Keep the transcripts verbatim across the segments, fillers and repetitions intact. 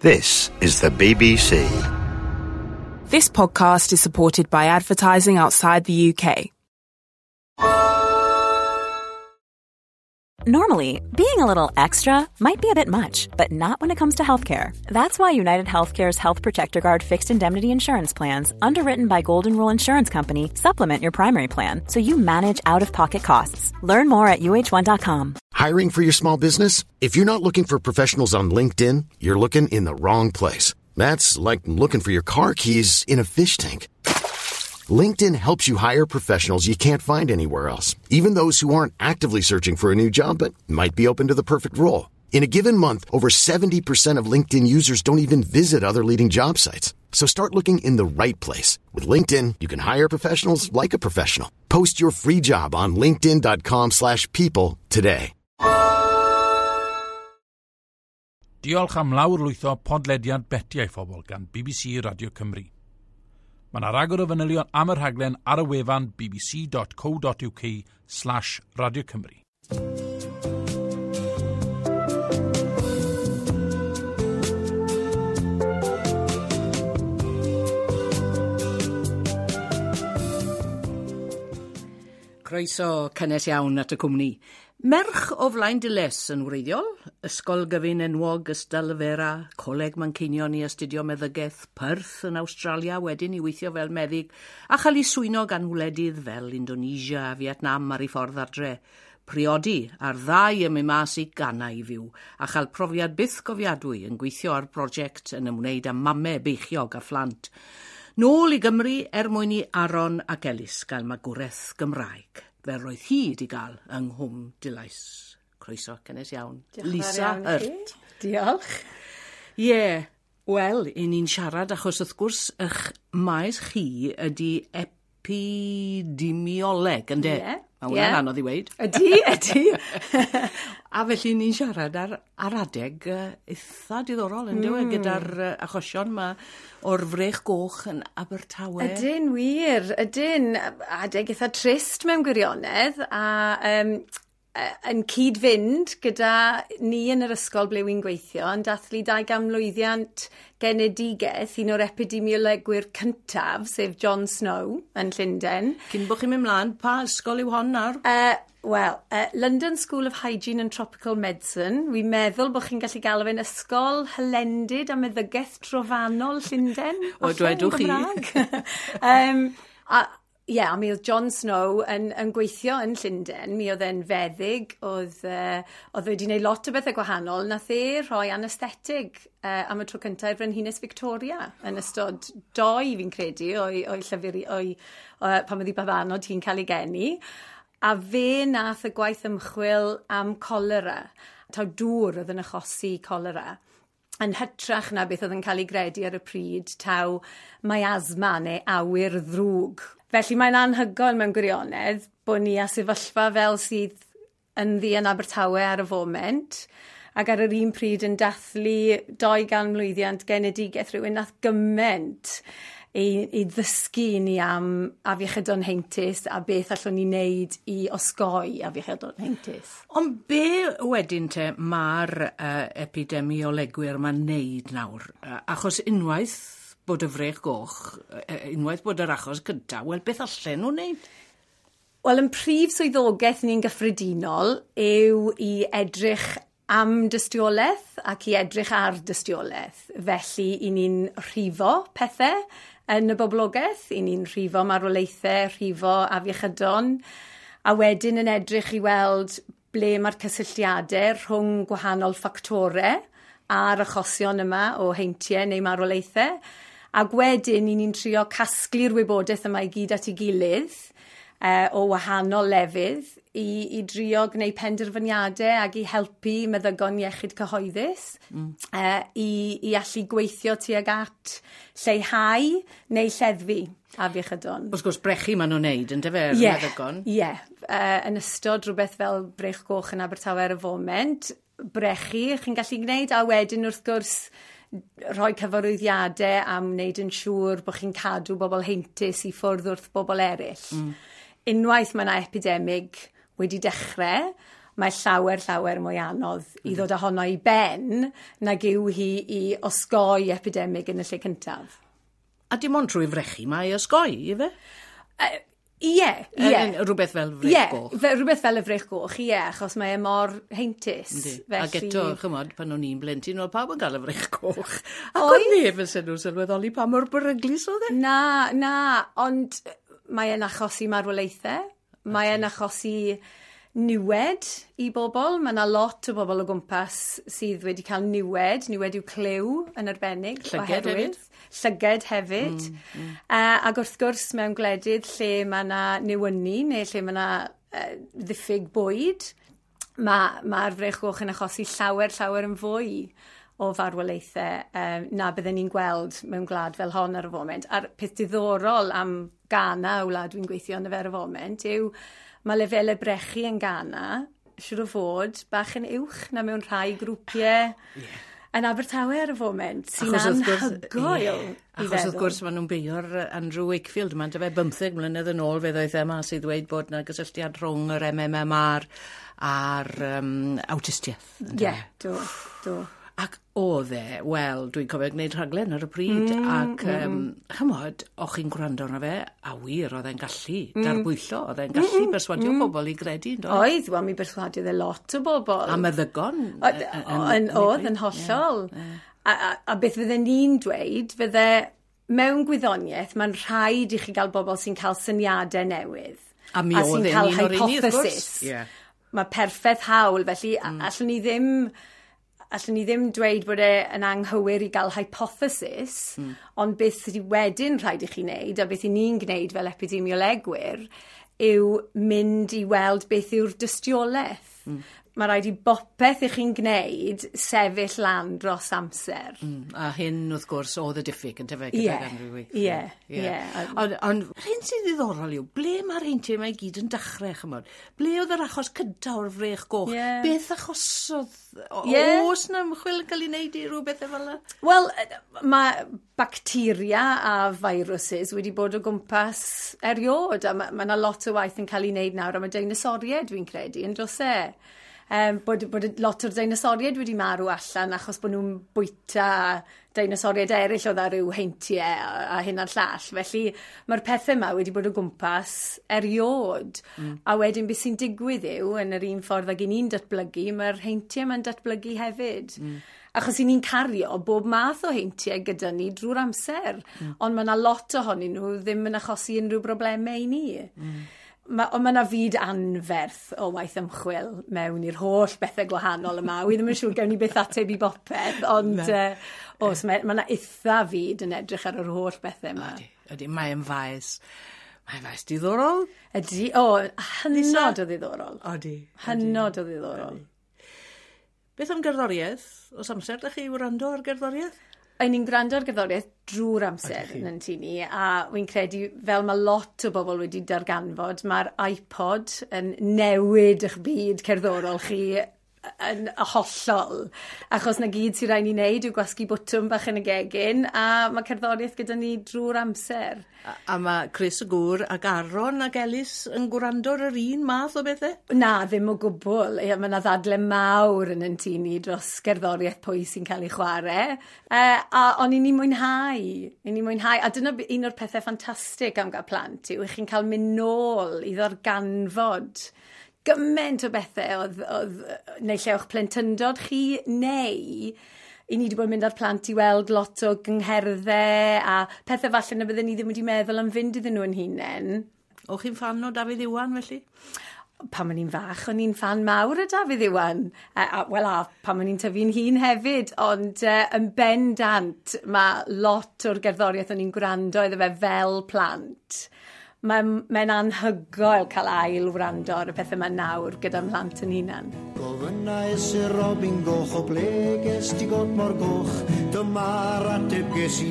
This is the B B C. This podcast is supported by advertising outside the U K. Normally, being a little extra might be a bit much, but not when it comes to healthcare. That's why United Healthcare's Health Protector Guard fixed indemnity insurance plans, underwritten by Golden Rule Insurance Company, supplement your primary plan so you manage out-of-pocket costs. Learn more at U H one dot com. Hiring for your small business? If you're not looking for professionals on LinkedIn, you're looking in the wrong place. That's like looking for your car keys in a fish tank. LinkedIn helps you hire professionals you can't find anywhere else, even those who aren't actively searching for a new job but might be open to the perfect role. In a given month, over seventy percent of LinkedIn users don't even visit other leading job sites. So start looking in the right place. With LinkedIn, you can hire professionals like a professional. Post your free job on linkedin dot com slash people today. Diolch am lawrlwytho podlediad Betiau Phobl gan B B C Radio Cymru. Mae yna ragor o fanylion am y rhaglen ar y wefan b b c dot co dot u k slash Radio Cymru. Croeso cynnes iawn at y cwmni. Merch o Flaen Diles yn wreiddiol, Ysgol Gyfun enwog Ystalyfera, Coleg Manceinion i astudio meddygaeth, Perth yn Awstralia wedyn i weithio fel meddyg, a chael ei swyno gan wledydd fel Indonesia a Vietnam ar ei ffordd adre. Priodi a'r ddau yn mynd mas i Ghana i fyw, a chael profiad byth gofiadwy yn gweithio ar brosiect yn ymwneud â mamau beichiog a phlant. Nôl i Gymru er mwyn i Aaron ac Elis gael magwraeth Gymraeg, fel roedd hi wedi gael yng Nghwm Dulais. Croeso cynnes iawn. Diolch Lisa yn fawr iawn i Hurt. chi. Diolch. Ie, yeah, wel, i ni'n siarad achos wrth gwrs eich maes chi ydy epidemioleg, ynde? Ie. Mae hwnna'n Ie. anodd i weud. Ydy, ydy. A felly ni'n siarad ar, ar adeg uh, eitha diddorol, yn mm. gyda'r uh, achosion ma o'r frech goch yn Abertawe. Ydyn, wir, ydyn. Adeg eitha trist mewn gwirionedd, a um, yn cyd-fynd gyda ni yn yr ysgol ble wy'n gweithio, yn dathlu dau ganmlwyddiant genedigaeth un o'r epidemiolegwyr cyntaf, sef John Snow yn Llundain. Cyn bod chi'n mynd mlaen, pa ysgol yw hon nawr? Uh, Wel, uh, London School of Hygiene and Tropical Medicine. Wi'n meddwl bod chi'n gallu galw fe'n ysgol hylendid a meddygaeth trofannol Llundain. O, falle, yn dwedwch chi. Gymraeg. um, a, Ie, yeah, a mi oedd John Snow yn, yn gweithio yn Llundain. Mi oedd e'n feddyg, oedd, uh, oedd wedi gwneud lot o bethau gwahanol. Nath e rhoi anesthetig uh, am y tro cyntaf i'r Frenhines Victoria yn ystod doi, fi'n credu, o'i, o'i llyfr, o'i, uh, pan oedd hi babanod hi'n cael ei geni. A fe nath y gwaith ymchwil am cholera, taw dŵr oedd yn achosi cholera, yn hytrach na beth oedd yn cael ei gredu ar y pryd, taw miasma neu awyr ddrwg. Felly mae'n anhygoel mewn gwirionedd bod ni â sefyllfa fel sydd ynddi yn Abertawe ar y foment, ac ar yr un pryd yn dathlu dau ganmlwyddiant genedigaeth rhywun nath gymaint i, i ddysgu ni am afiechydon heintus a beth allwn ni wneud i osgoi afiechydon heintus. Ond be wedyn te mae'r uh, epidemiolegwyr ma'n neud nawr? Uh, achos unwaith bod y frech goch, unwaith bod yr achos gyntaf, wel, beth allan nhw'n neud? Wel, yn prif swyddogaeth ni'n gyffredinol yw i edrych am dystiolaeth ac i edrych ar dystiolaeth. Felly, i ni'n rhifo pethau yn y boblogaeth, i ni'n rhifo marwolaethau, rhifo afiechydon, a wedyn yn edrych i weld ble mae'r cysylltiadau rhwng gwahanol ffactorau a'r achosion yma o heintiau neu marwolaethau. Ac wedyn, i ni'n trio casglu'r wybodaeth yma i gyd at ei gilydd uh, o wahanol lefydd i, i drio gwneud penderfyniadau ac i helpu meddygon iechyd cyhoeddus mm. uh, i, i allu gweithio tuag at lleihau neu lleddfu afiechydon. Wrth gwrs, brechu maen nhw'n neud, yndyfe, yr Ie, meddygon? Ie, uh, yn ystod rhywbeth fel brech goch yn Abertawe ar y foment, brechu chi'n gallu gwneud, a wedyn wrth gwrs rhoi cyfarwyddiadau am wneud yn siŵr bod chi'n cadw bobl heintus i ffwrdd wrth bobl eraill. Mm. Unwaith mae yna epidemig wedi dechrau, Mae llawer, llawer mwy anodd i ddod â honno i ben nag yw hi i osgoi epidemig yn y lle cyntaf. A dim ond trwy frechu mae osgoi, ife? Ie, ie. Rhywbeth fel frech goch. Ie, rhywbeth fel y frech goch, ie, achos mae e mor heintus. Felly... Ac eto, chymod, pan o'n i'n blentyn, oedd pawb yn cael y frech goch. Ac oedd neb yn syn nhw'n sylweddoli pa mor beryglus oedd e? Na, na, ond mae e'n achosi marwolaethau. Mae e'n achosi niwed i bobl. Mae yna lot o bobl o gwmpas sydd wedi cael niwed, niwed i'w clyw yn arbennig. Llyged hefyd. Llyged hefyd. Mm, mm. Uh, ac wrth gwrs mewn gwledydd lle mae yna newynu neu lle mae yna uh, ddiffyg bwyd, mae'r ma frech goch yn achosi llawer, llawer yn fwy o farwolaethau um, na bydden ni'n gweld mewn gwlad fel hon ar y foment. A'r peth diddorol am Ghana, y wlad dwi'n gweithio yn y fer y foment, yw mae lefelau brechu yn Ghana, siŵr o fod, bach yn uwch na mewn rhai grwpiau yeah. yn Abertawe ar y foment, sy'n anhygoel yeah. i Achos wrth gwrs maen nhw'n beio'r Andrew Wakefield yma, dyfe bymtheg mlynedd yn ôl fe ddoedd e mas i ddweud bod yna gysylltiad rhwng yr M M M R a'r um, awtistiaeth. Ie, yeah, do, do. Ac oedd e, wel, dwi'n cofio gwneud rhaglen ar y pryd, mm, ac, um, mm. chymod, o'ch chi'n gwrando arno fe, a wir, oedd e'n gallu mm. darbwyllo, oedd e'n gallu mm, berswadio mm. bobl i gredu, yndo? Oedd, wel, mi berswadiodd e lot o bobl. A meddygon. Oedd, yn hollol. Yeah, yeah. A, a, a beth fydden ni'n dweud, fydde mewn gwyddoniaeth, mae'n rhaid i chi gael bobl sy'n cael syniadau newydd. A mi oedd e'n un o'r un, wrth gwrs. Yeah. Mae perffaith hawl, felly mm. allwn ni ddim... Allwn ni ddim dweud bod e yn anghywir i gael hypothesis, mm. ond beth sydd wedyn rhaid i chi wneud, a beth i ni'n gwneud fel epidemiolegwyr, yw mynd i weld beth yw'r dystiolaeth. Mm. Mae rhaid i bopeth i chi'n gwneud sefyll lan dros amser. Mm. A hyn, wrth gwrs, oedd y diffyg yn tyfe gydag Andrew Wakefield. Ie, ie. Ond on, hyn sy'n ddiddorol yw, ble mae'r heintiau yma i gyd yn dechrau, chymod? Ble oedd yr achos cyntaf o'r frech goch? Yeah. Beth achosodd? O, yeah. Oes na ymchwil yn cael ei wneud i rhywbeth fel yna? Wel, mae bacteria a viruses wedi bod o gwmpas eriod, a mae yna lot o waith yn cael ei wneud nawr am y deinosoriaid, dwi'n credu, yn does e? Um, bod, bod lot o'r deinosoriaid wedi marw allan achos bod nhw'n bwyta deinosoriaid eraill oedd ar ryw heintiau a, a hyn a'r llall. Felly mae'r pethau yma wedi bod o gwmpas eriod. Mm. A wedyn beth sy'n digwydd yw, yn yr un ffordd ag i ni'n datblygu, mae'r heintiau yma'n datblygu hefyd. Mm. Achos i ni'n cario bob math o heintiau gyda ni drwy'r amser. Mm. Ond mae yna lot ohonyn nhw ddim yn achosi unrhyw broblemau i ni. Mm. Ma, ond mae yna fyd anferth o waith ymchwil mewn i'r holl bethau gwahanol yma. Wi ddim yn siŵr gewn ni byth ateb i bopeth, ond uh, oes, mae yna eitha fyd yn edrych ar yr holl bethau yma. Ydy, ydy, mae'n faes, mae'n faes diddorol. Ydy, o, hynod o ddiddorol. Ydy. Hynod o ddiddorol. Beth am gerddoriaeth? Oes amser da chi wrando ar gerddoriaeth? Ein ni'n gwrando ar gerddoriaeth drwy'r amser yn yn tŷ ni, a wy'n credu, fel mae lot o bobl wedi darganfod, mae'r iPod yn newid eich byd cerddorol chi yn hollol. Achos na gyd sy'n rhaid ni wneud yw gwasgu bwtwm bach yn y gegin, a mae cerddoriaeth gyda ni drwy'r amser. A, a mae Chris y gŵr ac Aaron ac Elis yn gwrando ar yr un math o bethau? Na, ddim o gwbl. Ie, mae yna ddadle mawr yn yn tŷ ni dros gerddoriaeth pwy sy'n cael ei chwarae. E, a ond i ni mwynhau. I ni mwynhau. A dyna un o'r pethau ffantastig am gael plant yw, i chi'n cael mynd nôl i ddarganfod gymaint o bethau oedd, oedd neu lle o'ch plentyndod chi, neu i ni wedi bod yn mynd â'r plant i weld lot o gyngherddau a pethau falle na bydden ni ddim wedi meddwl am fynd iddyn nhw yn hunain. O'ch chi'n ffan o Dafydd Iwan felly? Pan o'n i'n fach, o'n i'n ffan mawr o Dafydd Iwan. A, a, Wel, a pan o'n i'n tyfu'n hun hefyd, ond uh, yn bendant mae lot o'r gerddoriaeth o'n i'n gwrando iddo fe fel plant. Mae'n mae anhygoel cael ail wrando ar y pethau yma nawr gyda mhlant yn hunan. Gofynnais i'r robin goch o ble ges ti got mor goch, dyma'r ateb ges i.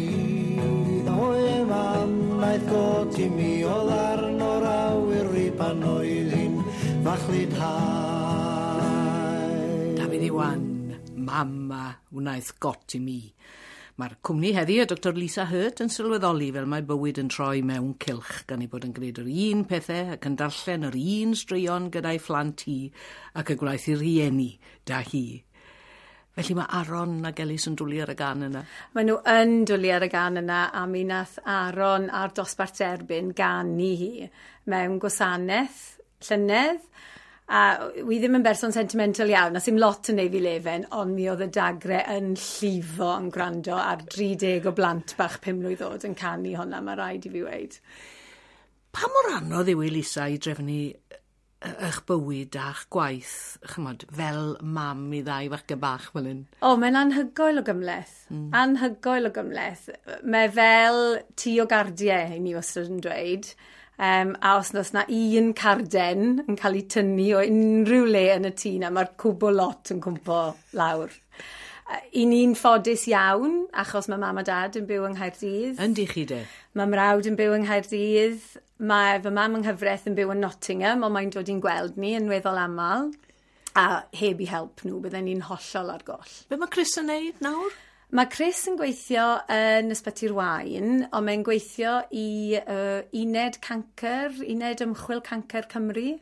Oe mam wnaeth got i mi o ddarn o'r awyr i pan oedd hi'n fachlud hau. Dafydd Iwan, mama wnaeth got i mi. Mae'r cwmni heddi, y Doctor Lisa Hurt, yn sylweddoli fel mae bywyd yn troi mewn cylch gan ei bod yn gwneud yr un pethau ac yn darllen yr un straeon gyda'i phlant hi ac y gwnaeth i rieni da hi. Felly mae Aaron ac Elis yn dwlu ar y gân yna. Maen nhw yn dwlu ar y gân yna, a mi nath Aaron a'r dosbarth derbyn ganu hi mewn gwasanaeth llynedd. A wi ddim yn berson sentimental iawn, a sy'm lot yn neud fi lefen, ond mi oedd y dagre yn llifo yn gwrando ar dri deg o blant bach pum mlwydd oed yn canu hwnna, mae rhaid i fi weud. Pa mor anodd yw i Lisa i drefnu eich bywyd a'ch gwaith, chymod, fel mam i ddau fachgen bach fel hyn? O, mae'n anhygoel o gymhleth. Mm. Anhygoel o gymhleth. Mae fel tŷ o gardiau, i ni wastad yn dweud. Um, a os oes na un carden yn cael ei tynnu o unrhyw le yn y tŷ na, mae'r cwbl lot yn cwmpo lawr. I ni'n ffodus iawn, achos mae mam a dad yn byw yng Nghaerdydd. Yndi chi de? Mae mrawd yn byw yng Nghaerdydd. Mae fy mam yng nghyfraith yn byw yn Nottingham, ond mae'n dod i'n gweld ni yn weddol aml. A heb i help nhw, bydden ni'n hollol ar goll. Be mae Chris yn neud nawr? Mae Chris yn gweithio yn Ysbyty'r Waun, ond mae'n gweithio i uh, uned cancr, uned ymchwil cancr Cymru.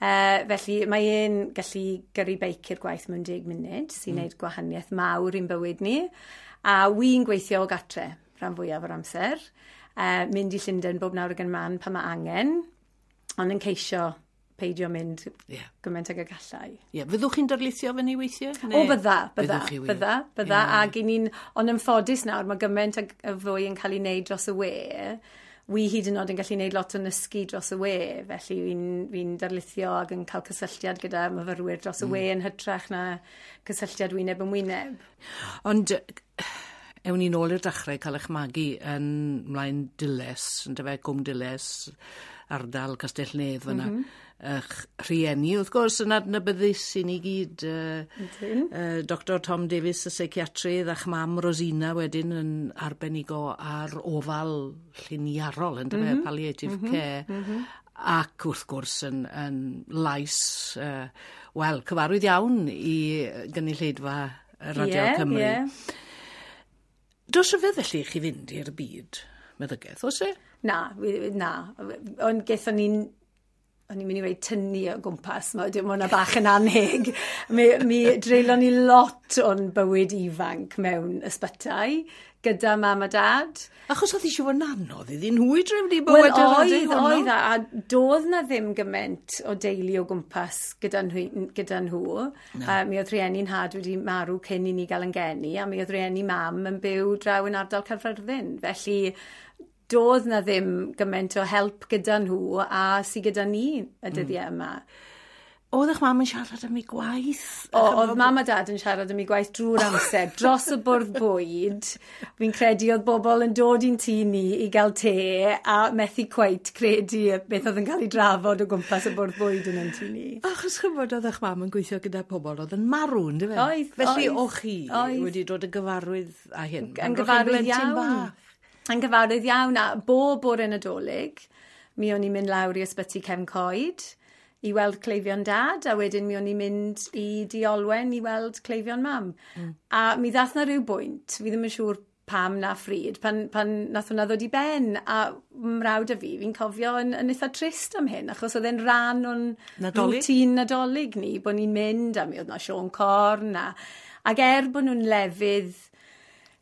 Uh, felly mae e'n gallu gyrru beic i'r gwaith mewn deg munud, sy'n mm. neud gwahaniaeth mawr i'n bywyd ni. A wi'n gweithio o gatre rhan fwyaf o'r amser. Uh, mynd i Llundain bob nawr ag yn man pan mae angen, ond yn ceisio peidio mynd yeah. gymaint ag y gallai. Ie, yeah. Fyddwch chi'n darlithio fyny weithiau? Neu? O, bydda, bydda, bydda, bydda. Yeah. Ac i ni'n, ond yn ffodus nawr, mae gymaint ag y fwy yn cael ei wneud dros y we. Wi hyd yn oed yn gallu gwneud lot o nysgu dros y we, felly fi'n fi darlithio ac yn cael cysylltiad gyda myfyrwyr dros y mm. we yn hytrach na cysylltiad wyneb yn wyneb. Ond ewn ni nôl i'r dechrau cael eich magu yn Mlaen Dulais, yn dyfe, Cwm Dulais, ardal Castell Nedd fyna. Mm -hmm. Eich rhieni, wrth gwrs, yn adnabyddus i ni gyd. Uh, uh, Doctor Tom Davies, y seiciatrydd, a'ch mam Rosina wedyn yn arbenigo ar ofal lliniarol, yn dyfe, mm -hmm. palliative mm -hmm. care. Mm -hmm. Ac wrth gwrs yn, yn lais, uh, wel, cyfarwydd iawn i gynulleidfa Radio yeah, Cymru. Yeah. Does rhyfedd felly i chi fynd i'r byd meddygaeth, oes e? Na, na. Ond gaethon ni'n o'n i'n mynd i weud tynnu o gwmpas, mae hwnna bach yn anheg. Mi, mi dreulon ni lot o'n bywyd ifanc mewn ysbytai gyda mam a dad. Achos oedd eisiau fod yn anodd iddyn nhw i drefnu bywyd Wel, oedd, oedd, a, a doedd na ddim gymaint o deulu o gwmpas gyda nhw. Gyda nhw. Uh, mi oedd rhieni'n nhad wedi marw cyn i ni gael yn geni, a mi oedd rhieni mam yn byw draw yn ardal Caerfyrddin. Felly doedd na ddim gymaint o help gyda nhw a sy gyda ni y dyddiau yma. Oedd eich mam yn siarad am ei gwaith? O, oedd mam a dad yn siarad am ei gwaith drwy'r amser, dros y bwrdd bwyd. Fi'n credu oedd bobl yn dod i'n tŷ ni i gael te a methu cweit credu beth oedd yn cael ei drafod o gwmpas y bwrdd bwyd yn yn tŷ ni. Achos chymod oedd eich mam yn gweithio gyda pobl oedd yn marw, yndyfe? Oedd, Felly oedd. o'ch chi oedd. wedi dod yn gyfarwydd â hyn? Yn gyfarwydd iawn. Yn gyfarwydd iawn, a bob bore Nadolig, mi o'n i'n mynd lawr i ysbyty Cefn Coed i weld cleifion dad, a wedyn mi o'n i'n mynd i Dŷ Olwen i weld cleifion mam. Mm. A mi ddath na rhyw bwynt, fi ddim yn siŵr pam na phryd, pan, pan nath hwnna ddod i ben, a mrawd a fi, fi'n cofio yn, yn eitha trist am hyn, achos oedd e'n rhan o'n routine Nadolig ni, bod ni'n mynd, a mi oedd na Siôn Corn, a, ac er bod nhw'n lefydd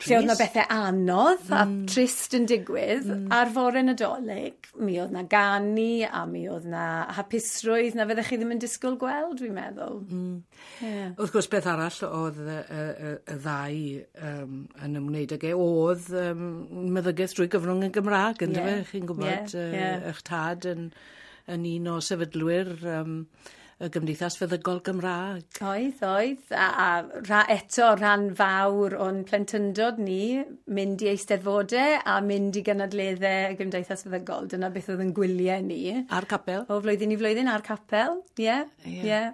lle oedd na bethau anodd mm. a trist yn digwydd, mm. ar fore Nadolig, mi oedd na ganu a mi oedd na hapusrwydd na fyddech chi ddim yn disgwyl gweld, dwi'n meddwl. Mm. Yeah. Wrth gwrs, beth arall oedd y, y, y ddau um, yn ymwneud ag e, oedd um, meddygaeth drwy gyfrwng y Gymraeg, yndyfe? Yeah. Chi'n gwybod yeah. Yeah. eich tad yn, yn un o sefydlwyr um, y Gymdeithas Feddygol Gymraeg. Oedd, oedd. A, a ra, eto rhan fawr o'n plentyndod ni, mynd i eisteddfodau a mynd i gynadleddau y Gymdeithas Feddygol. Dyna beth oedd yn gwyliau ni. A'r capel. O flwyddyn i flwyddyn, a'r capel. Ie, ie. Yeah.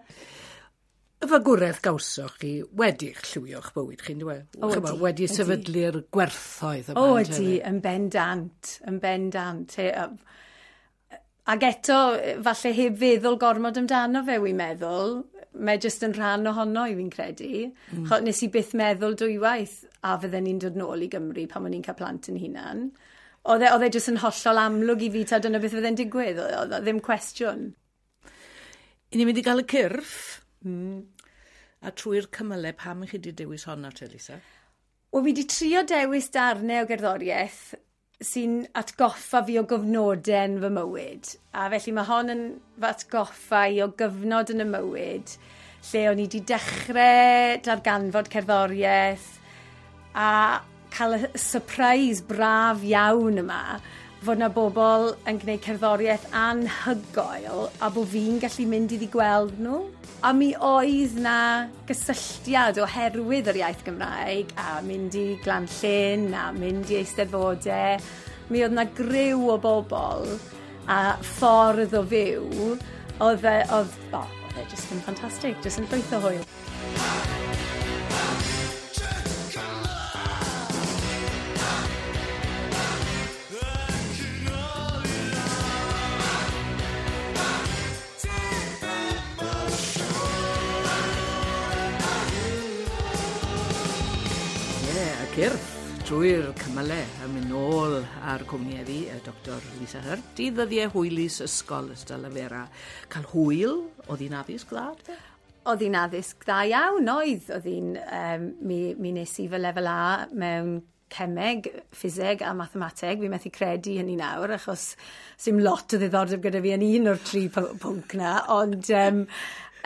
Y fagwraeth gawsoch chi wedi'ch llywio'ch bywyd chi'n dweud? O, ydi. Wedi sefydlu'r gwerthoedd yma. O, ydi, yn bendant, yn bendant. Ac eto, falle heb feddwl gormod amdano fe, wi'n meddwl, mae jyst yn rhan ohono i fi'n credu. Mm. Nes i byth meddwl dwywaith a fydden ni'n dod nôl i Gymru pan o'n i'n cael plant yn hunan. Oedd e, oedd e jyst yn hollol amlwg i fi ta dyna beth fydde'n digwydd, oedd e ddim cwestiwn. I ni'n mynd i gael y cyrff, mm. a trwy'r cymylau, pam chi wedi dewis honna te, Lisa? Wel, fi wedi trio dewis darnau o gerddoriaeth sy'n atgoffa fi o gyfnodau yn fy mywyd. A felly mae hon yn fy atgoffa i o gyfnod yn y mywyd lle o'n i wedi dechrau darganfod cerddoriaeth a cael y surprise braf iawn yma fod na bobl yn gwneud cerddoriaeth anhygoel a bod fi'n gallu mynd iddi gweld nhw. A mi oedd na gysylltiad oherwydd yr iaith Gymraeg a mynd i Glan Llyn a mynd i Eisteddfodau. Mi oedd na griw o bobl a ffordd o fyw oedd, e, oedd, oh, oedd e jyst yn ffantastig, jyst yn llwyth o hwyl. Cyrff trwy'r cymylau a mynd nôl ar cwmni heddi, y Doctor Lisa Hurt, i ddyddiau hwylus ysgol Ystalyfera. Cael hwyl, oedd hi'n addysg dda? Oedd hi'n addysg dda iawn, oedd. Oedd hi'n, um, mi, mi nes i fy lefel A mewn cemeg, ffiseg a mathemateg. Fi methu credu hynny nawr, achos sim lot o ddiddordeb gyda fi yn un o'r tri pwnc na, ond um,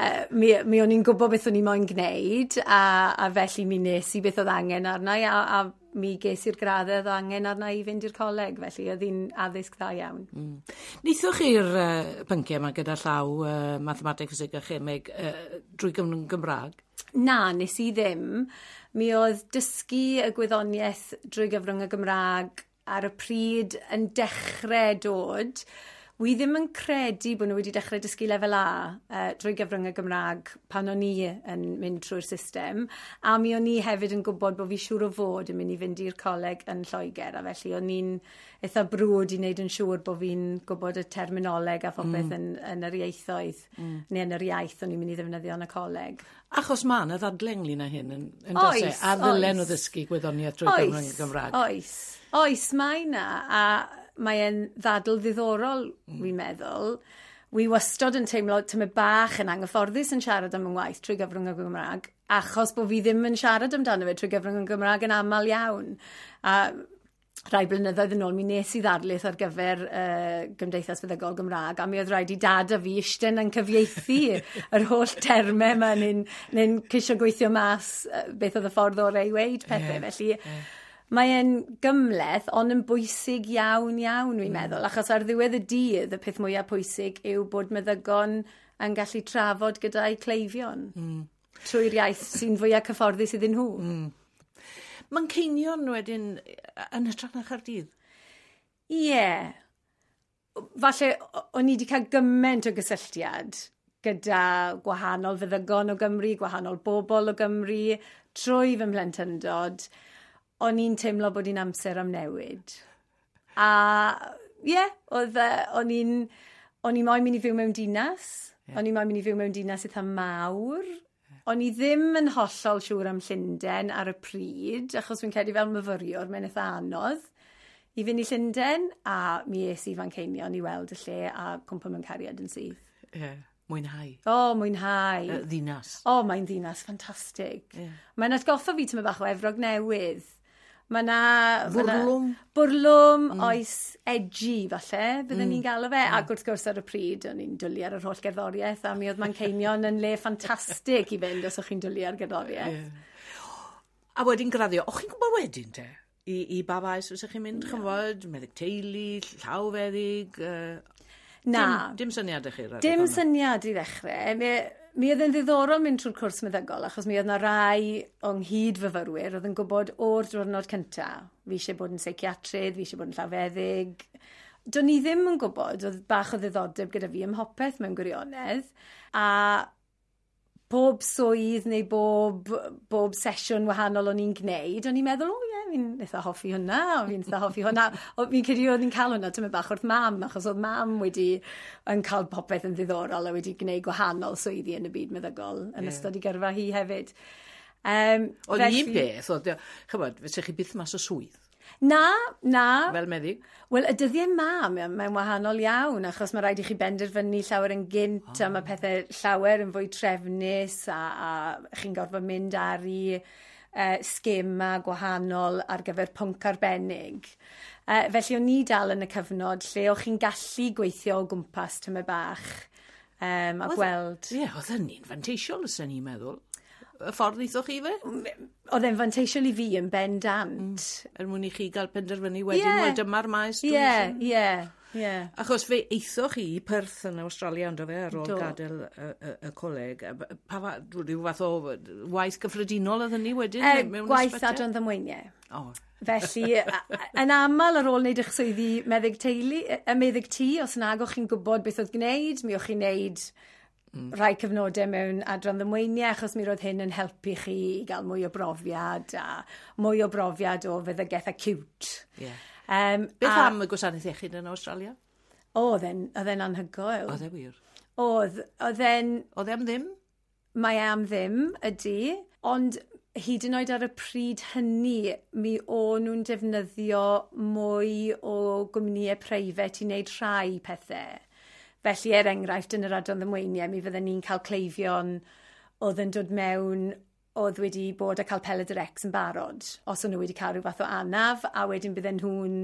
Uh, mi, mi o'n i'n gwybod beth o'n i moyn gwneud, a, a felly mi nes i beth oedd angen arna i, a, a mi ges i'r graddau oedd angen arna i fynd i'r coleg, felly oedd hi'n addysg dda iawn. Mm. Neithoch chi'r uh, pynciau yma gyda llaw uh, mathemateg, ffiseg a chemeg uh, drwy gyfrwng Gymraeg? Na, nes i ddim. Mi oedd dysgu y gwyddoniaeth drwy gyfrwng y Gymraeg ar y pryd yn dechrau dod. Wi ddim yn credu bod nhw wedi dechrau dysgu lefel A uh, drwy gyfrwng y Gymraeg pan o'n i yn mynd trwy'r system. A mi o'n i hefyd yn gwybod bod fi siŵr o fod yn mynd i fynd i'r coleg yn Lloegr. A felly o'n i'n eitha brwd i wneud yn siŵr bod fi'n gwybod y terminoleg a phopeth mm. yn, yn yr ieithoedd, mm. neu yn yr iaith o'n i'n mynd i ddefnyddio yn y coleg. Achos mae yna ddadle ynglyn â hyn yn, yn does e? A ddylen nhw ddysgu gwyddoniaeth drwy gyfrwng y Gymraeg. Oes, oes, mae yna. A mae'n ddadl ddiddorol, mm. wi'n meddwl. Wi wastod yn teimlo tymed bach yn anghyfforddus yn siarad am yng ngwaith trwy gyfrwng y Gymraeg, achos bod fi ddim yn siarad amdano fe trwy gyfrwng y Gymraeg yn aml iawn. A rai blynyddoedd yn ôl, mi nes i ddarlith ar gyfer uh, Gymdeithas Feddygol Gymraeg, a mi oedd rhaid i dad a fi eistedd yn cyfieithu yr holl termau yma, neu'n neu ceisio gweithio mas beth oedd y ffordd orau i weud pethau. Yeah, felly, yeah. Mae e'n gymhleth, ond yn bwysig iawn, iawn, wi'n mm. meddwl. Achos ar ddiwedd y dydd, y peth mwyaf pwysig yw bod meddygon yn gallu trafod gyda'i cleifion. Mm. Trwy'r iaith sy'n fwyaf cyfforddus iddyn nhw. Mm. Manceinion wedyn yn hytrach na Chaerdydd? Ie. Yeah. Falle o'n i wedi cael gymaint o gysylltiad gyda gwahanol feddygon o Gymru, gwahanol bobl o Gymru, trwy fy mhlentyndod. O'n i'n teimlo bod hi'n amser am newid. A ie, yeah, oedd o'n i'n o'n i moyn mynd i fyw mewn dinas. Yeah. O'n i moyn mynd i fyw mewn dinas eitha mawr. Yeah. O'n i ddim yn hollol siŵr am Llundain ar y pryd, achos fi'n credu fel myfyriwr, mae'n eitha anodd i fynd i Llundain, a mi es i Fanceinion i weld y lle a cwmpo mewn cariad yn syth. Ie. Yeah. Mwynhau. O, oh, mwynhau. Y ddinas. O, oh, mae'n ddinas ffantastig. Yeah. Mae'n atgoffa fi tymed bach o Efrog Newydd. Mae na... Bwrlwm. Bwrlwm, mm. oes edgy falle, bydden mm. ni'n galw fe. Mm. Ac wrth gwrs ar y pryd, o'n i'n dwlu ar yr holl gerddoriaeth, a mi oedd Manceinion yn le ffantastig i fynd os o'ch chi'n dwlu ar gerddoriaeth. Yeah. A wedyn graddio, o'ch chi'n gwybod wedyn te? I, i ba faes fysa chi'n mynd, chymfod, meddyg teulu, llawfeddyg? Uh, Na. Dim, dim syniad i chi? Dim syniad i ddechrau. Mi, mi oedd yn ddiddorol mynd trwy'r cwrs meddygol, achos mi oedd yna rai o'n nghyd-fyfyrwyr oedd yn gwybod o'r diwrnod cyntaf. Fi eisiau bod yn seiciatrydd, fi eisiau bod yn llawfeddyg. Do'n i ddim yn gwybod, oedd bach o ddiddordeb gyda fi ym mhopeth mewn gwirionedd, a Pob swydd neu bob, bob sesiwn wahanol o'n i'n gwneud, o'n i'n meddwl, o ie, fi'n eitha hoffi hwnna, o fi'n eitha hoffi hwnna. O, fi'n credu o'n i'n cael hwnna tymed bach wrth mam, achos oedd mam wedi yn cael popeth yn ddiddorol a wedi gwneud gwahanol swyddi yn y byd meddygol yn yeah. ystod i gyrfa hi hefyd. Um, oedd felly... un peth, oedd, chybod, fysa chi byth mas o swydd? Na, na. Fel meddyg? Wel, y dyddiau ma, mae'n wahanol iawn, achos mae rhaid i chi benderfynu llawer yn gynt, oh. a mae pethau llawer yn fwy trefnus, a, a chi'n gorfod mynd ar i uh, sgema gwahanol ar gyfer pwnc arbennig. Uh, felly, o'n i dal yn y cyfnod lle o'ch chi'n gallu gweithio o gwmpas tymed bach um, a gweld... Ie, yeah, oedd hynny'n fanteisiol, os o'n i'n meddwl. Y ffordd wnaethoch chi fe? Oedd e'n fanteisiol i fi yn bendant. Mm. Er mwyn i chi gael penderfynu wedyn, yeah. Wel dyma'r maes. Ie, ie, ie. Achos fe eithoch chi i Perth yn Awstralia, ond fe, ar ôl Do. gadael y, y, y coleg. Pa fa, rhyw fath o waith gyffredinol oedd hynny wedyn? E, mewn gwaith adran ddamweiniau. Oh. Felly, yn aml ar ôl wneud eich swyddi meddyg teulu, y meddyg tŷ, os nag o'ch chi'n gwybod beth oedd gwneud, mi o'ch chi'n gwneud Mm. rhai cyfnodau mewn adran ddamweiniau, achos mi roedd hyn yn helpu chi i gael mwy o brofiad a mwy o brofiad o feddygaeth acute. Yeah. Um, Beth a, am y gwasanaeth iechyd yn Awstralia? Oedd e'n oedd e'n anhygoel. Oedd e wir? Oedd. Oedd e'n... Oedd e am ddim? Mae e am ddim, ydy. Ond hyd yn oed ar y pryd hynny, mi o'n nhw'n defnyddio mwy o gwmnïau preifat i wneud rhai pethau. Felly, er enghraifft, yn yr adran ddamweiniau, mi fydden ni'n cael cleifion oedd yn dod mewn oedd wedi bod a cael pelydr X yn barod, os o'n nhw wedi cael rhyw fath o anaf, a wedyn bydden nhw'n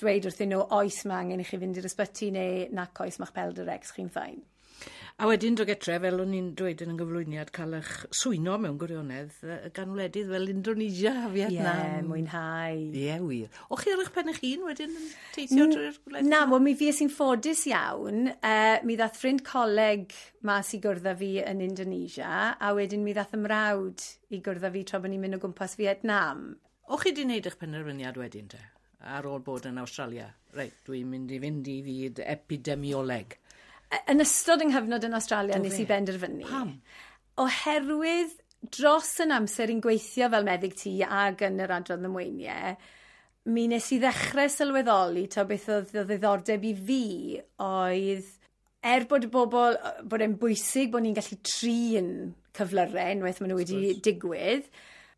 dweud wrthyn nhw, oes mae angen i chi fynd i'r ysbyty neu nac oes ma'ch pelydr X chi'n fine. A wedyn dod getre, fel o'n i'n dweud yn y gyflwyniad, cael eich swyno mewn gwirionedd gan wledydd fel Indonesia a Vietnam. Ie, yeah, mwynhau. Ie, yeah, wir. O chi ar eich pen eich hun wedyn yn teithio drwy'r gwledydd? Na, wel mi fues i'n ffodus iawn. Uh, mi ddath ffrind coleg mas i gwrdd â fi yn Indonesia, a wedyn mi ddath ymrawd i gwrdd â fi tra bod ni'n mynd o gwmpas Vietnam. O chi di wneud eich penderfyniad wedyn te, ar ôl bod yn Awstralia? Reit, dwi'n mynd i fynd i fyd epidemioleg. Yn ystod yng nghyfnod yn Awstralia nes i benderfynu. Pam? Oherwydd dros yn amser i'n gweithio fel meddyg tŷ ag yn yr adran ddamweiniau, mi nes i ddechrau sylweddoli ta beth oedd o ddiddordeb i fi oedd, er bod y bobl, bod e'n bwysig bod ni'n gallu trin cyflyrau unwaith maen nhw wedi digwydd,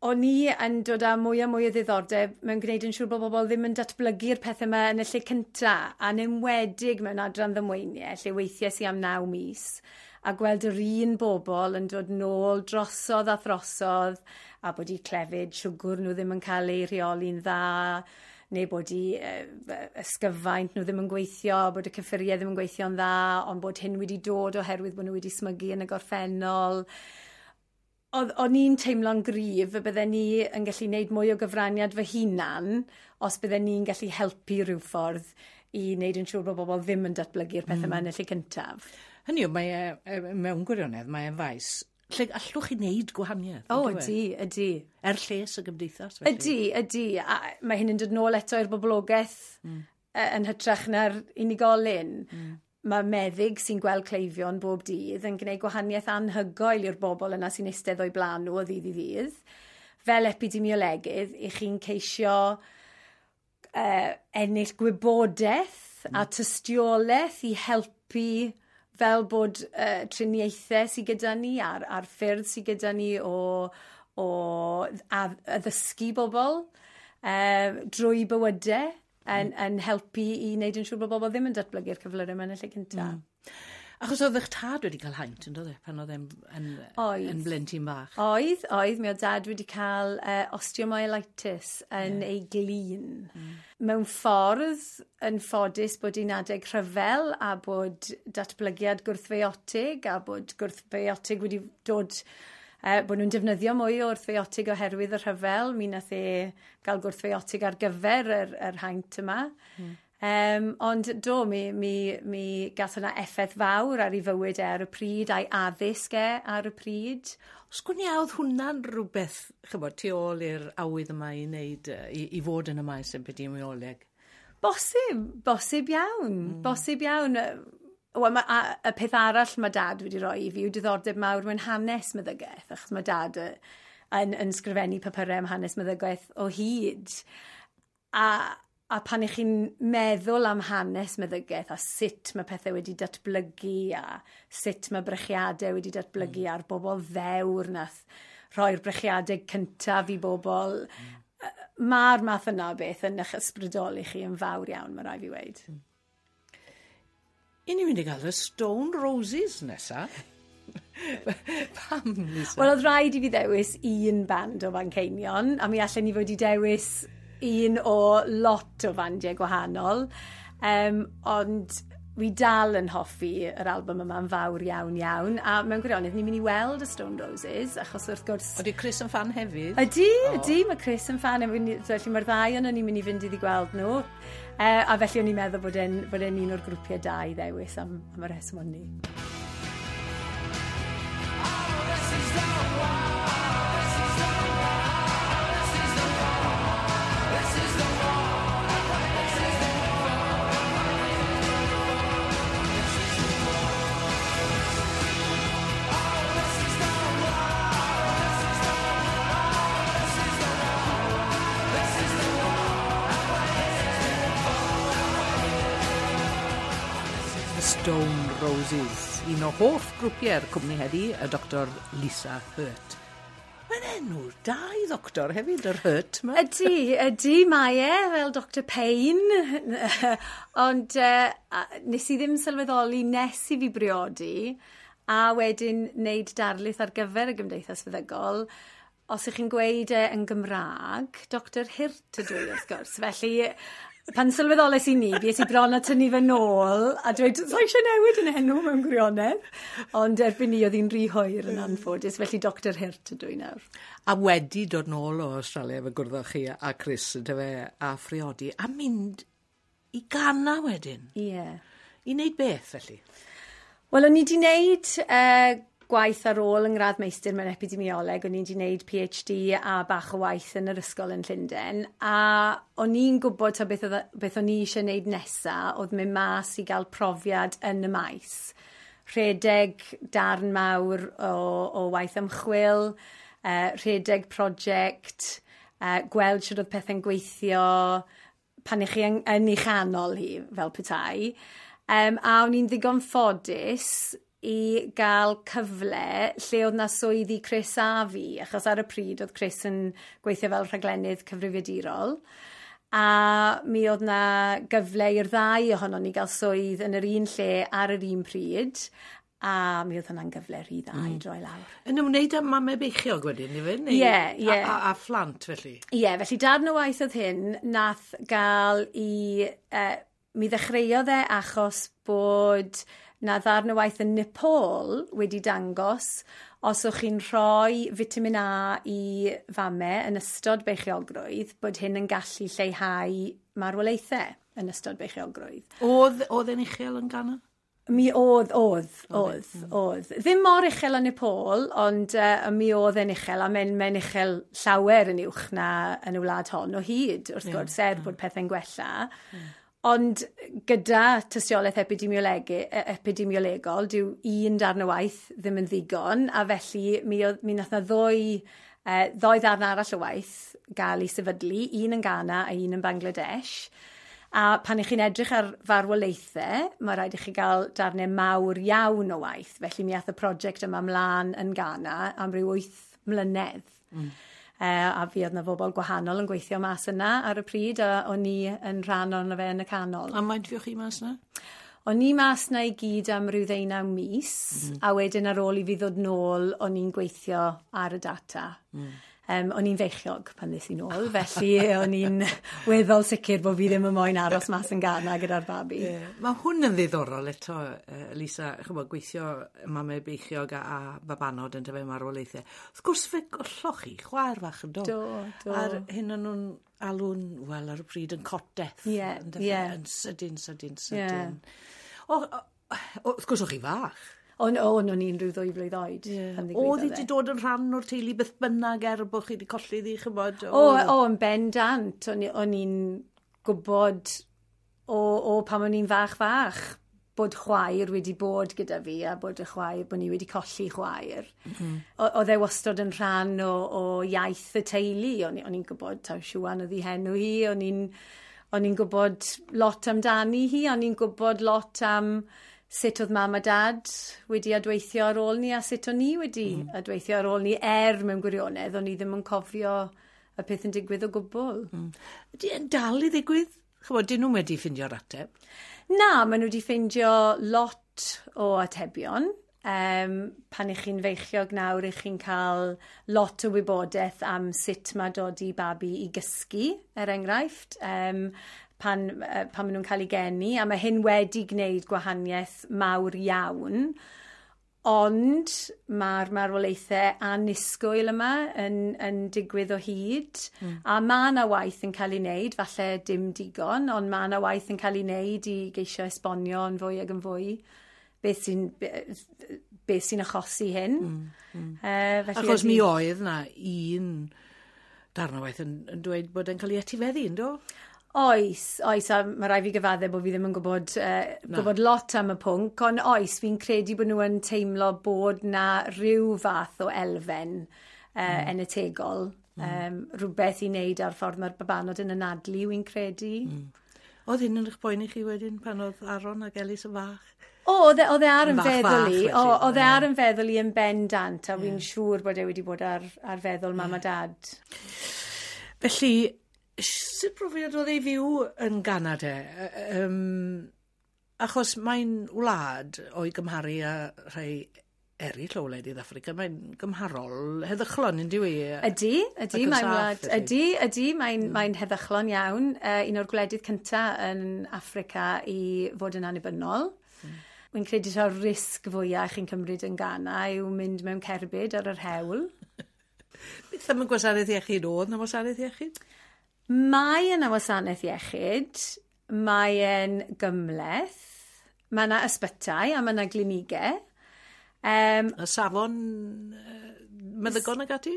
o'n i yn dod â mwy a mwy o ddiddordeb mewn gwneud yn siŵr bod bobl ddim yn datblygu'r pethau yma yn y lle cynta, a'n enwedig mewn adran ddamweiniau, lle weithiau i am naw mis, a gweld yr un bobl yn dod nôl drosodd a throsodd, a bod eu clefyd siwgr nhw ddim yn cael eu rheoli'n dda, neu bod eu ysgyfaint nhw ddim yn gweithio, bod y cyffuriau ddim yn gweithio'n dda, ond bod hyn wedi dod oherwydd bod nhw wedi smygu yn y gorffennol. Oedd, o'n i'n teimlo'n gryf y bydden ni yn gallu gwneud mwy o gyfraniad fy hunan os bydden ni'n gallu helpu rhyw ffordd i wneud yn siŵr bod bobl ddim yn datblygu'r pethau yma mm. yn y lle cyntaf. Hynny yw, mae e, mewn gwirionedd, mae e'n faes lle allwch chi wneud gwahaniaeth. O, ydy, ydy. Er lles y gymdeithas, felly. Ydy, ydy. A mae hyn yn dod nôl eto i'r boblogaeth mm. yn hytrach na'r unigolyn. Mm. Mae meddyg sy'n gweld cleifion bob dydd yn gwneud gwahaniaeth anhygoel i'r bobl yna sy'n eistedd o'i blaen nhw o ddydd i ddydd. Fel epidemiolegydd, i chi'n ceisio uh, ennill gwybodaeth mm. a tystiolaeth i helpu fel bod uh, triniaethau sydd gyda ni a'r, a'r ffyrdd sydd gyda ni o, o addysgu bobl uh, drwy bywydau yn, mm. yn helpu i wneud yn siŵr bod bobl ddim yn datblygu'r cyflyrau yma yn y lle cyntaf. Mm. Achos oedd eich tad wedi cael haint, yn doedd e, pan oedd e'n yn, yn blentyn bach? Oedd, oedd. Mi oedd dad wedi cael uh, osteomyelitis yn yeah. ei glin. Mm. Mewn ffordd, yn ffodus bod hi'n adeg rhyfel a bod datblygiad gwrthfeiotig a bod gwrthfeiotig wedi dod... Uh, bod nhw'n defnyddio mwy o wrthfeiotig oherwydd y rhyfel. Mi nath e gael gwrthfeiotig ar gyfer yr, yr haint yma. Mm. Um, ond do, mi, mi, mi gath hwnna effaith fawr ar ei fywyd e ar y pryd, a'i addysg e ar y pryd. Os gwn i oedd hwnna'n rhywbeth, chybod, tu ôl i'r awydd yma i wneud, i, i fod yn y maes epidemioleg? Bosib, bosib iawn, mm. bosib iawn. Wel, ma, a, y peth arall mae dad wedi rhoi i fi yw diddordeb mawr mewn hanes meddygaeth, achos mae dad y, yn, yn sgrifennu papurau am hanes meddygaeth o hyd. A, a pan ych chi'n meddwl am hanes meddygaeth a sut mae pethau wedi datblygu a sut mae brechiadau wedi datblygu mm. a'r bobl ddewr nath rhoi'r brechiadau cyntaf i bobl, mm. mae'r math yna o beth yn eich ysbrydoli chi yn fawr iawn, mae rhaid fi weud. Mm. I ni'n mynd i gael y Stone Roses nesa. Pam, Lisa? Wel, oedd rhaid i fi ddewis un band o Fanceinion, a mi allan ni fod i dewis un o lot o fandiau gwahanol. Um, ond wi dal yn hoffi yr album yma'n fawr iawn iawn. A mewn gwirionedd, ni'n mynd i weld y Stone Roses, achos wrth gwrs... Ydy Chris yn fan hefyd? Ydy, oh. ydy, mae Chris yn fan. Felly mae'r ddau o'n ni'n mynd i fynd iddi gweld nhw. Uh, a felly o'n i'n meddwl bod e'n bod e'n un o'r grwpiau da i ddewis am, am y rheswm o'n ni. Oh, this is the one. This is the one. This is the one. This is the one. This is the one. This is the one. Oh, this is the one. This is the one. This is the one. This is the one. The Stone Roses, un o hoff grwpiau'r cwmni heddi, y Doctor Lisa Hurt. Mae'n enw da i ddoctor hefyd, yr Hurt ma. Ydy, ydy, mae e, fel Doctor Payne. Ond uh, nes i ddim sylweddoli nes i fi briodi, a wedyn wneud darlith ar gyfer y Gymdeithas Feddygol. Os ych chi'n gweud e yn Gymraeg, Doctor Hurt ydw i, wrth gwrs. Felly, pan sylweddolais i ni, bues i bron a tynnu fe nôl, a dweud, sa eisiau newid yn enw mewn gwirionedd. Ond erbyn ni, oedd hi'n rhy hwyr yn anffodus, felly Doctor Hurt ydw i nawr. A wedi dod nôl o Australia fe gwrddoch chi a Chris, yndyfe, a phriodi, a mynd i Ghana wedyn. Ie. Yeah. I wneud beth, felly? Wel, o'n i wedi wneud uh, gwaith ar ôl yng ngradd meistr mewn epidemioleg, o'n i wedi wneud P H D a bach o waith yn yr ysgol yn Llundain, a o'n i'n gwybod ta beth, oedd, beth o'n i eisiau wneud nesa, oedd mynd mas i gael profiad yn y maes. Rhedeg darn mawr o, o waith ymchwil, uh, rhedeg prosiect, uh, gweld sut oedd pethau'n gweithio pan ych chi yn, yn ei chanol hi, fel petai. Um, a o'n i'n ddigon ffodus i gael cyfle lle oedd na swyddi Chris a fi, achos ar y pryd oedd Chris yn gweithio fel rhaglennydd cyfrifiadurol. A mi oedd na gyfle i'r ddau ohonon ni gael swydd yn yr un lle ar yr un pryd, a mi oedd hwnna'n gyfle rhy dda mm. i droi lawr. Yn ymwneud â mamau beichiog wedyn, i fe? Ie, ie. A, a, a phlant, felly? Ie, yeah, felly darn o waith oedd hyn, nath gael i... Uh, mi ddechreuodd e achos bod na ddarn o waith yn Nepal wedi dangos os o'ch chi'n rhoi vitamin A i famau yn ystod beichiogrwydd, bod hyn yn gallu lleihau marwolaethau yn ystod beichiogrwydd. Oedd, oedd e'n uchel yn Ghana? Mi oedd, oedd, oedd, oedd. Ddim mor uchel yn Nepal, ond uh, mi oedd e'n uchel, a mae'n mae uchel llawer yn uwch na yn y wlad hon o hyd, wrth gwrs, er bod pethau'n gwella. Mm. Ond gyda tystiolaeth epidemiolegol, dyw un darn o waith ddim yn ddigon, a felly mi, oedd, mi nath na ddwy, uh, ddoi ddarn arall o waith gael ei sefydlu, un yn Ghana a un yn Bangladesh. A pan ych chi'n edrych ar farwolaethau, mae rhaid i chi gael darnau mawr iawn o waith. Felly mi ath y prosiect yma mlaen yn Ghana am ryw wyth mlynedd. Mm. Uh, a fi oedd na bobl gwahanol yn gweithio mas yna ar y pryd, a o'n i yn rhan ohono fe yn y canol. A faint fuoch chi mas yna? O'n i mas na i gyd am ryw ddeunaw mis, mm. a wedyn ar ôl i fi ddod nôl, o'n i'n gweithio ar y data. Mm. Um, o'n i'n feichiog pan ddes i nôl, felly o'n i'n weddol sicr bod fi ddim yn moyn aros mas yn Ghana gyda'r babi. Yeah. Mae hwn yn ddiddorol eto, Lisa, chymod, gweithio mamau beichiog a, a babanod yn tyfu marwolaethau. Wrth gwrs fe golloch chi, chwaer fach yn do. Do, do. A'r hyn o'n nhw'n alw'n, wel, ar y pryd yn cot death. Ie, ie. Yn sydyn, sydyn, sydyn. Yeah. O, o, wrth gwrs o'ch chi fach. O, o, o'n i'n rhyw ddwy flwydd oed. Yeah. Oedd hi wedi dod yn rhan o'r teulu beth bynnag er bod chi wedi colli ddi, chymod? O, o, yn bendant. O'n i'n gwybod o, o pan o'n i'n fach fach bod chwaer wedi bod gyda fi a bod y chwaer, bod ni wedi colli chwaer. Mm. Oedd e wastod yn rhan o, o iaith y teulu. O'n, o'n i'n gwybod taw Siwan oedd ei henw hi, o'n i'n o'n i'n gwybod lot amdani hi, o'n i'n gwybod lot am sut oedd mam a dad wedi adweithio ar ôl ni a sut o'n i wedi mm. adweithio ar ôl ni, er mewn gwirionedd, o'n i ddim yn cofio y peth yn digwydd o gwbl. Mm. Ydy e'n dal i ddigwydd? Ch'mod, dyn nhw wedi ffindio'r ateb? Na, maen nhw wedi ffeindio lot o atebion. Um, pan ych chi'n feichiog nawr, ych chi'n cael lot o wybodaeth am sut mae dod i babi i gysgu, er enghraifft, um, pan, pan maen nhw'n cael eu geni. A mae hyn wedi gwneud gwahaniaeth mawr iawn. Ond mae'r marwolaethau annisgwyl yma yn, yn digwydd o hyd. Mm. A mae yna waith yn cael ei wneud, falle dim digon, ond mae yna waith yn cael ei wneud i geisio esbonio yn fwy ac yn fwy beth sy'n beth sy'n achosi hyn. Mm. Mm. Uh, felly Achos ydi- mi oedd na un darn o waith yn, yn dweud bod e'n cael ei etifeddu, yndo? Oes, oes, a mae rhaid fi gyfadde bod fi ddim yn gwybod, uh, gwybod lot am y pwnc, ond oes, fi'n credu bod nhw yn teimlo bod na rhyw fath o elfen uh, mm. enetegol, mm. um, rhywbeth i wneud ar ffordd mae'r babanod yn anadlu, wy'n credu. Mm. Oedd hyn yn eich poeni chi wedyn pan oedd Aaron ac Elis yn fach? O, oedd e, oedd e ar yn Fach, feddwl fach, i, felly, o, oedd e ie. ar yn feddwl i yn bendant, a wy'n siŵr bod e wedi bod ar, ar feddwl mam a dad. Felly, sut brofiad oedd ei fyw yn Ghana de? Um, achos mae'n wlad o'i gymharu â rhai eraill o wledydd Affrica, mae'n gymharol heddychlon, yn dyw i? Ydy, ydy, Ac yn mae'n saff, wlad, felly. ydy, ydy, mae'n mm. mae'n heddychlon iawn. Uh, un o'r gwledydd cynta yn Affrica i fod yn annibynnol. Mm. Wy'n credu ta'r risg fwyaf chi'n cymryd yn Ghana yw mynd mewn cerbyd ar yr hewl. Beth am y gwasanaeth iechyd oedd na wasanaeth iechyd? Mae yna wasanaeth iechyd, mae e'n gymhleth, mae yna ysbytai a mae yna glinigau. Um, Y safon uh, meddygon ag ati?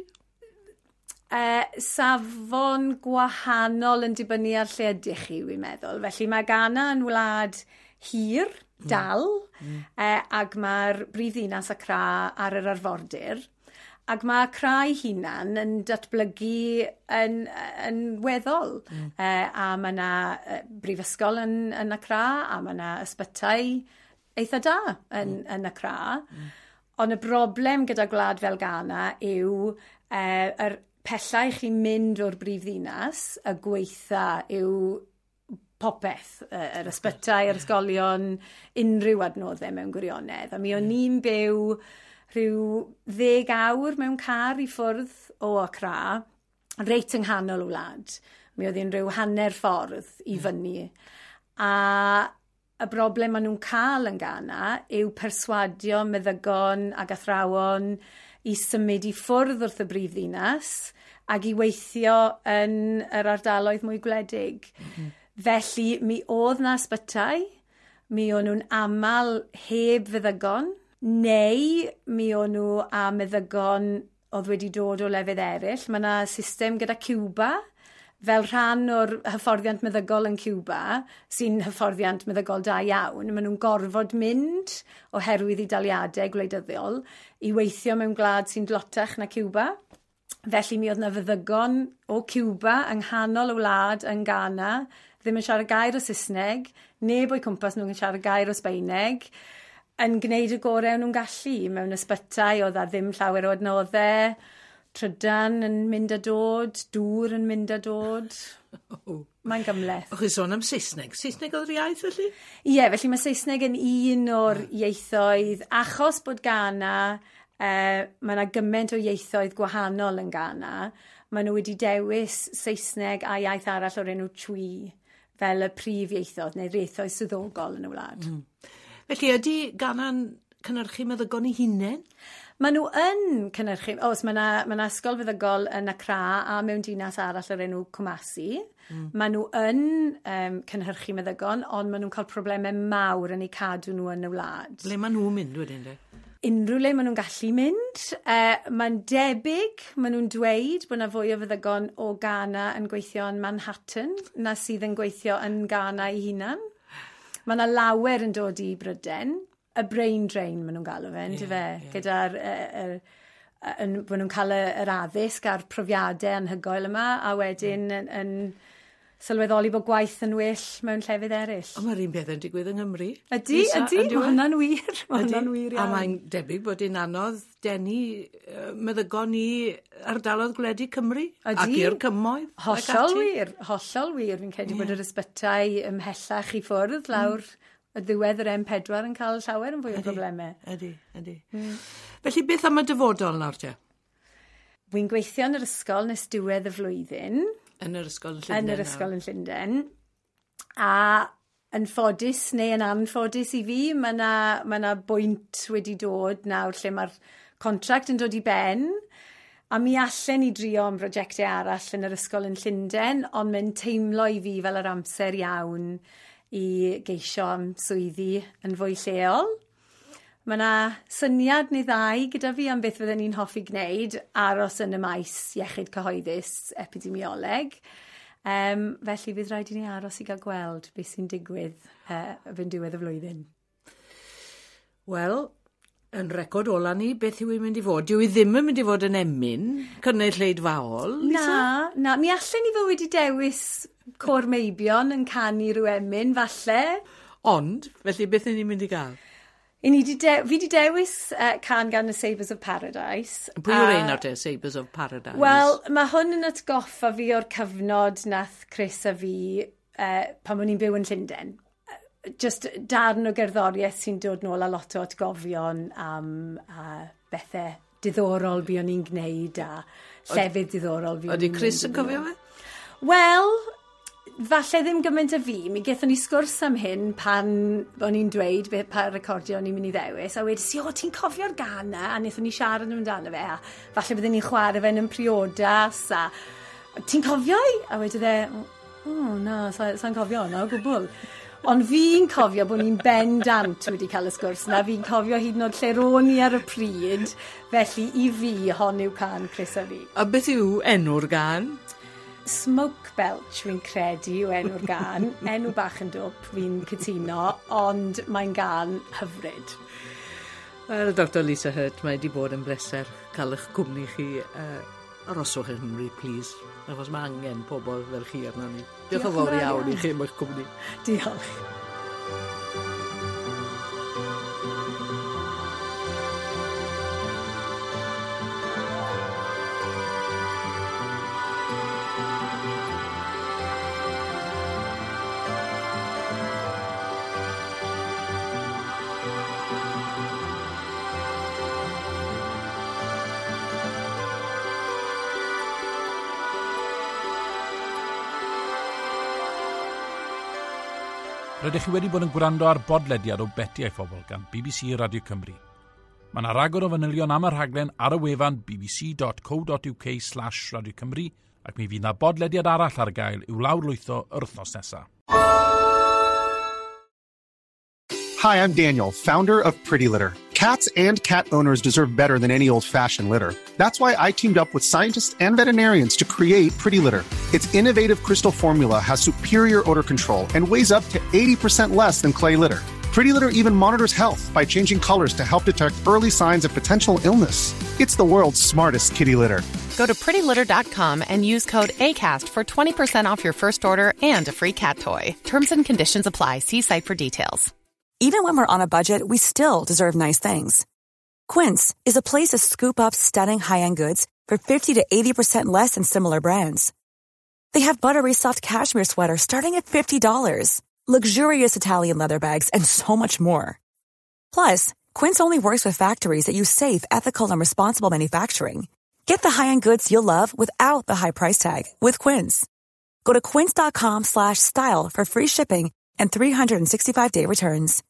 Uh, safon gwahanol yn dibynnu ar lle ydych chi, wy'n meddwl. Felly mae Ghana yn wlad hir, dal, mm. uh, ac mae'r brifddinas Accra ar yr arfordir. Ac mae Accra ei hunan yn datblygu yn, yn weddol. Mm. Uh, a mae yna brifysgol yn, yn Accra, a mae yna ysbytai eitha da yn, mm. yn Accra. Mm. Ond y broblem gyda gwlad fel Ghana yw uh, yr pellau chi'n mynd o'r brifddinas, y gweitha yw popeth, y- yr ysbytai, yr ysgolion, unrhyw adnoddau mewn gwirionedd. A mi o'n i'n byw rhyw ddeg awr mewn car i ffwrdd o Accra, reit yng nghanol y wlad. Mi oedd hi'n rhyw hanner ffordd i fyny. A y broblem maen nhw'n cael yn Ghana yw perswadio meddygon ac athrawon i symud i ffwrdd wrth y brifddinas ac i weithio yn yr ardaloedd mwy gwledig. Mm -hmm. Felly, mi oedd na ysbytai, mi o'n nhw'n aml heb feddygon, neu mi o'n nhw a meddygon oedd wedi dod o lefydd eraill. Mae yna system gyda Cuba, fel rhan o'r hyfforddiant meddygol yn Cuba, sy'n hyfforddiant meddygol da iawn, maen nhw'n gorfod mynd oherwydd i daliadau gwleidyddol i weithio mewn gwlad sy'n dlotach na Cuba. Felly mi oedd na feddygon o Cuba yng nghanol y wlad yn Ghana, ddim yn siarad gair o Saesneg, neb o'i cwmpas nhw'n siarad gair o Sbaeneg, yn gwneud y gorau o'n nhw'n gallu mewn ysbytai oedd a ddim llawer o adnoddau, trydan yn mynd a dod, dŵr yn mynd a dod. Mae'n gymhleth. O'ch chi sôn am Saesneg. Saesneg oedd yr iaith felly? Ie, felly mae Saesneg yn un o'r ieithoedd, achos bod Ghana, uh, mae yna gymaint o ieithoedd gwahanol yn Ghana, maen nhw wedi dewis Saesneg a iaith arall o'r enw Twi fel y prif ieithoedd neu'r ieithoedd swyddogol yn y wlad. Mm. Felly ydy Ghana'n cynhyrchu meddygon ei hunain? Maen nhw yn cynhyrchu, oes, mae yna ma 'na ysgol feddygol yn Accra a mewn dinas arall o'r enw Kumasi. Mm. Maen nhw yn um, cynhyrchu meddygon, ond maen nhw'n cael problemau mawr yn eu cadw nhw yn y wlad. Ble maen nhw'n mynd wedyn de? Unrhyw le maen nhw'n gallu mynd. Uh, mae'n debyg, maen nhw'n dweud bod yna fwy o feddygon o Ghana yn gweithio yn Manhattan na sydd yn gweithio yn Ghana ei hunan. Mae yna lawer yn dod i Bryden, y brain drain maen nhw'n galw fe, yeah, fe? Yeah. Gyda'r... Uh, uh, yn, bod nhw'n cael yr addysg a'r profiadau anhygoel yma, a wedyn mm. yn, yn sylweddoli bod gwaith yn well mewn llefydd eraill. Ond mae'r un peth yn digwydd yng Nghymru. Ydy, ydy, mae hwnna'n wir. Mae hwnna'n wir iawn. A mae'n debyg bod hi'n anodd denu meddygon i ardaloedd gwledig Cymru. Ydy. Ac i'r cymoedd. Hollol wir, hollol wir. Fi'n credu yeah. bod yr ysbytai ymhellach i ffwrdd lawr mm. y ddiwedd yr M pedwar yn cael llawer yn fwy o broblemau. Ydy, ydy. Mm. Felly beth am y dyfodol nawr te? Wy'n gweithio yn yr ysgol nes diwedd y flwyddyn. Yn yr ysgol yn Llundain. Yn yr ysgol yn Llundain. A yn ffodus neu yn anffodus i fi, mae yna ma na bwynt wedi dod nawr lle mae'r contract yn dod i ben. A mi allen i drio am brosiectau arall yn yr ysgol yn Llundain, ond mae'n teimlo i fi fel yr amser iawn i geisio am swyddi yn fwy lleol. Mae yna syniad neu ddau gyda fi am beth fydden ni'n hoffi gwneud, aros yn y maes iechyd cyhoeddus epidemioleg. Um, felly fydd rhaid i ni aros i gael gweld beth sy'n digwydd uh, fyn diwedd y flwyddyn. Wel, yn record ola ni, beth yw i'n mynd i fod? Dyw i ddim yn mynd i fod yn emyn, cynulleidfaol? Na, na. Mi allen ni fod wedi dewis côr meibion yn canu rhyw emyn, falle. Ond, felly beth ni'n mynd i gael? I ni di de- fi di dewis uh, can gan y Sabres of Paradise. Pwy yw'r ein o'r te, Sabres of Paradise? Wel, mae hwn yn atgoffa fi o'r cyfnod nath Chris a fi uh, pan o'n i'n byw yn Llundain. Just darn o gerddoriaeth sy'n dod nôl a lot o atgofion am uh, bethau diddorol buon ni'n gwneud a llefydd diddorol buon ni'n Ydy Chris yn cofio fe? Wel, falle ddim gymaint a fi. Mi gaethon ni sgwrs am hyn pan o'n i'n dweud be, pa recordio o'n i'n mynd i ddewis, a wedes i, o, ti'n cofio'r gân 'na? A wnaethon ni siarad amdano fe, a falle bydden ni'n chwarae fe yn priodas, a ti'n cofio i? A wedodd e, o, na, sa'n sa cofio hwnna o gwbl. Ond fi'n cofio bod ni'n bendant wedi cael y sgwrs na, fi'n cofio hyd yn oed lle ro'n i ar y pryd, felly i fi hon yw can Chris a fi. A beth yw enw'r gân? Smoke Belch fi'n credu yw enw'r gân, enw bach yn dwp, fi'n cytuno, ond mae'n gân hyfryd. Wel, Doctor Lisa Hurt, mae wedi bod yn bleser cael eich cwmni chi. Uh, aroswch yng Nghymru, please, achos mae angen pobl fel chi arno ni. Diolch yn fawr iawn i chi am eich cwmni. Diolch. Rydych chi wedi bod yn gwrando ar bodlediad o Beti a'i Phobl gan B B C Radio Cymru. Mae yna ragor o fanylion am y rhaglen ar y wefan bbc.co.uk slash Radio Cymru ac mi fydd yna bodlediad arall ar gael i'w lawrlwytho yr wythnos nesaf. Hi, I'm Daniel, founder of Pretty Litter. Cats and cat owners deserve better than any old-fashioned litter. That's why I teamed up with scientists and veterinarians to create Pretty Litter. Its innovative crystal formula has superior odor control and weighs up to eighty percent less than clay litter. Pretty Litter even monitors health by changing colors to help detect early signs of potential illness. It's the world's smartest kitty litter. Go to pretty litter dot com and use code ACAST for twenty percent off your first order and a free cat toy. Terms and conditions apply. See site for details. Even when we're on a budget, we still deserve nice things. Quince is a place to scoop up stunning high-end goods for fifty to eighty percent less than similar brands. They have buttery soft cashmere sweaters starting at fifty dollars, luxurious Italian leather bags, and so much more. Plus, Quince only works with factories that use safe, ethical, and responsible manufacturing. Get the high-end goods you'll love without the high price tag with Quince. Go to quince dot com slash style for free shipping and three sixty-five day returns.